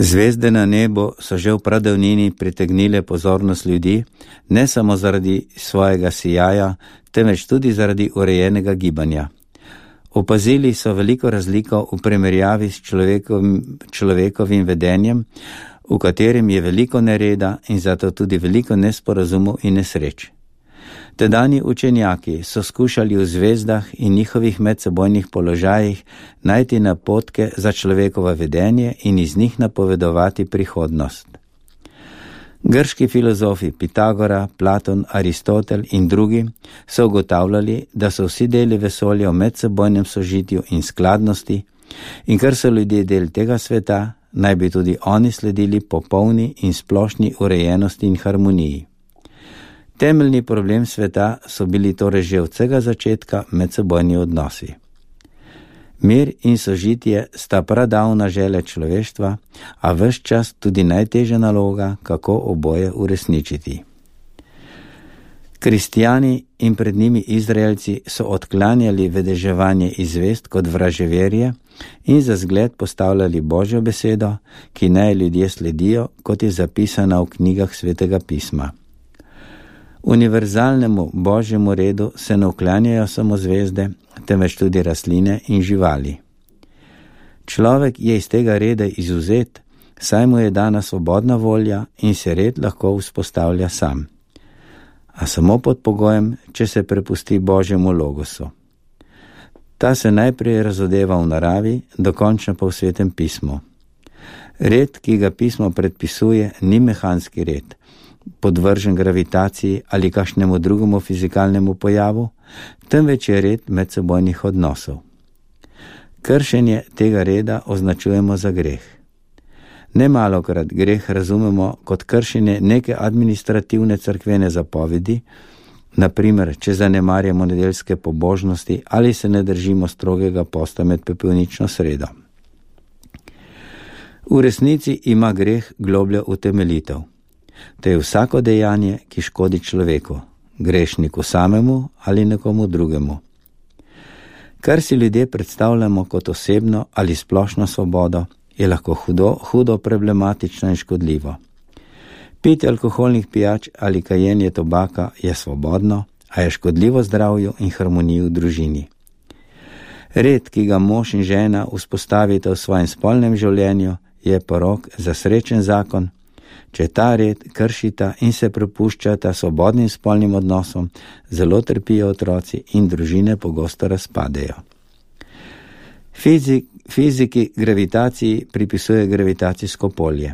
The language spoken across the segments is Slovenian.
Zvezde na nebu so že v pradavnini pritegnile pozornost ljudi, ne samo zaradi svojega sijaja, temveč tudi zaradi urejenega gibanja. Opazili so veliko razliko v primerjavi s človekovim vedenjem, v katerem je veliko nereda in zato tudi veliko nesporazumov in nesreč. Tedanji učenjaki so skušali v zvezdah in njihovih medsebojnih položajih najti napotke za človekovo vedenje in iz njih napovedovati prihodnost. Grški filozofi Pitagora, Platon, Aristotel in drugi so ugotavljali, da so vsi deli vesolja v medsebojnem sožitju in skladnosti in ker so ljudje del tega sveta, naj bi tudi oni sledili popolni in splošni urejenosti in harmoniji. Temeljni problem sveta so bili torej že od vsega začetka medsebojni odnosi. Mir in sožitje sta pradavna želja človeštva, a ves čas tudi najtežja naloga, kako oboje uresničiti. Kristjani in pred njimi Izraelci so odklanjali vedeževanje iz zvezd kot vraževerje in za zgled postavljali Božjo besedo, ki naj ljudje sledijo, kot je zapisana v knjigah Svetega pisma. Univerzalnemu Božjemu redu se ne uklanjajo samo zvezde, temveč tudi rastline in živali. Človek je iz tega reda izvzet, saj mu je dana svobodna volja in se red lahko vzpostavlja sam. A samo pod pogojem, če se prepusti Božjemu logosu. Ta se najprej razodeva v naravi, dokončno pa v Svetem pismu. Red, ki ga pismo predpisuje, ni mehanski red, podvržen gravitaciji ali kakšnemu drugemu fizikalnemu pojavu, temveč je red medsebojnih odnosov. Kršenje tega reda označujemo za greh. Nemalokrat greh razumemo kot kršenje neke administrativne cerkvene zapovedi, naprimer, če zanemarjamo nedeljske pobožnosti ali se ne držimo strogega posta med pepelnično sredo. V resnici ima greh globljo utemeljitev. To je vsako dejanje, ki škodi človeku, grešniku samemu ali nekomu drugemu. Kar si ljudje predstavljamo kot osebno ali splošno svobodo, je lahko hudo problematično in škodljivo. Pitje alkoholnih pijač ali kajenje tobaka je svobodno, a je škodljivo zdravju in harmoniji v družini. Red, ki ga mož in žena vzpostavita v svojem spolnem življenju, je porok za srečen zakon. Če ta red kršita in se prepuščata svobodnim spolnim odnosom, zelo trpijo otroci in družine pogosto razpadejo. Fiziki gravitaciji pripisuje gravitacijsko polje.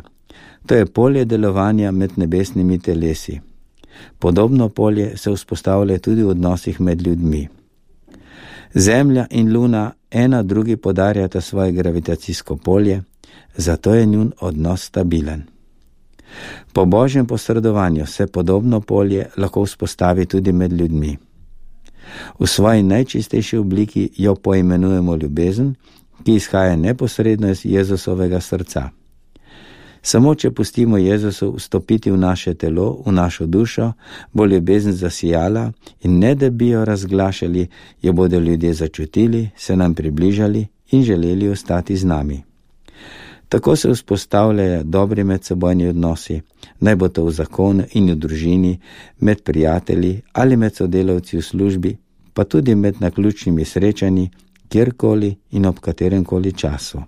To je polje delovanja med nebesnimi telesi. Podobno polje se vzpostavlja tudi v odnosih med ljudmi. Zemlja in Luna ena drugi podarjata svoje gravitacijsko polje, zato je njun odnos stabilen. Po Božjem posredovanju se podobno polje lahko vzpostavi tudi med ljudmi. V svoji najčistejši obliki jo poimenujemo ljubezen, ki izhaja neposredno iz Jezusovega srca. Samo če pustimo Jezusu vstopiti v naše telo, v našo dušo, bo ljubezen zasijala in ne da bi jo razglašali, jo bodo ljudje začutili, se nam približali in želeli ostati z nami. Tako se vzpostavljajo dobri medsebojni odnosi, naj bo to v zakonu in v družini, med prijatelji ali med sodelavci v službi, pa tudi med naključnimi srečanji, kjerkoli in ob kateremkoli času.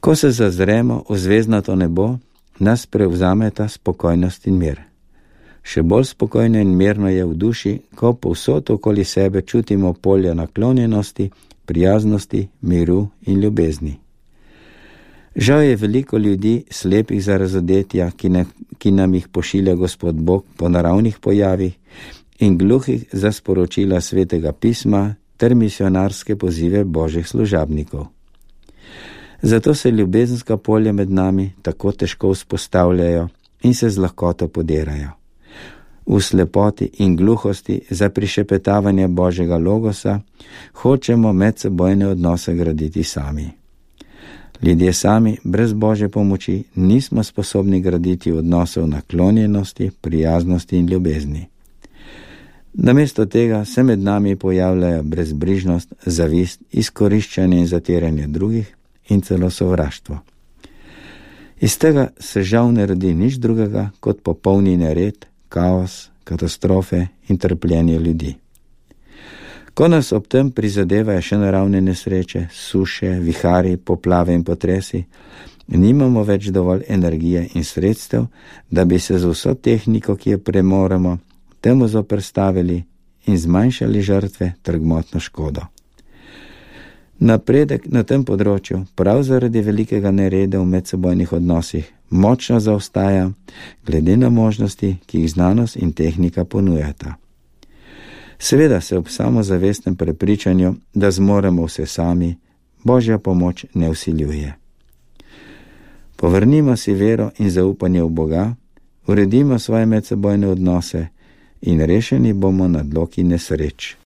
Ko se zazremo v zvezdnato nebo, nas prevzameta spokojnost in mir. Še bolj spokojno in mirno je v duši, ko povsod okoli sebe čutimo polje naklonjenosti, prijaznosti, miru in ljubezni. Žal je veliko ljudi slepih za razodetja, ki nam jih pošilja Gospod Bog po naravnih pojavih in gluhih za sporočila Svetega pisma ter misionarske pozive Božjih služabnikov. Zato se ljubezenska polja med nami tako težko vzpostavljajo in se z lahkoto podirajo. V slepoti in gluhosti za prišepetavanje Božjega logosa hočemo medsebojne odnose graditi sami. Ljudje sami, brez Božje pomoči, nismo sposobni graditi odnosov naklonjenosti, prijaznosti in ljubezni. Namesto tega se med nami pojavljajo brezbrižnost, zavist, izkoriščanje in zatiranje drugih in celo sovraštvo. Iz tega se žal ne rodi nič drugega kot popolni nered, kaos, katastrofe in trpljenje ljudi. Ko nas ob tem prizadevajo še naravne nesreče, suše, vihari, poplave in potresi, nimamo več dovolj energije in sredstev, da bi se z vso tehniko, ki jo premoremo, temu zoperstavili in zmanjšali žrtve ter gmotno škodo. Napredek na tem področju, prav zaradi velikega nereda v medsebojnih odnosih, močno zaostaja glede na možnosti, ki jih znanost in tehnika ponujata. Seveda se ob samozavestnem prepričanju, da zmoremo vse sami, Božja pomoč ne vsiljuje. Povrnimo si vero in zaupanje v Boga, uredimo svoje medsebojne odnose in rešeni bomo nadloki nesreč.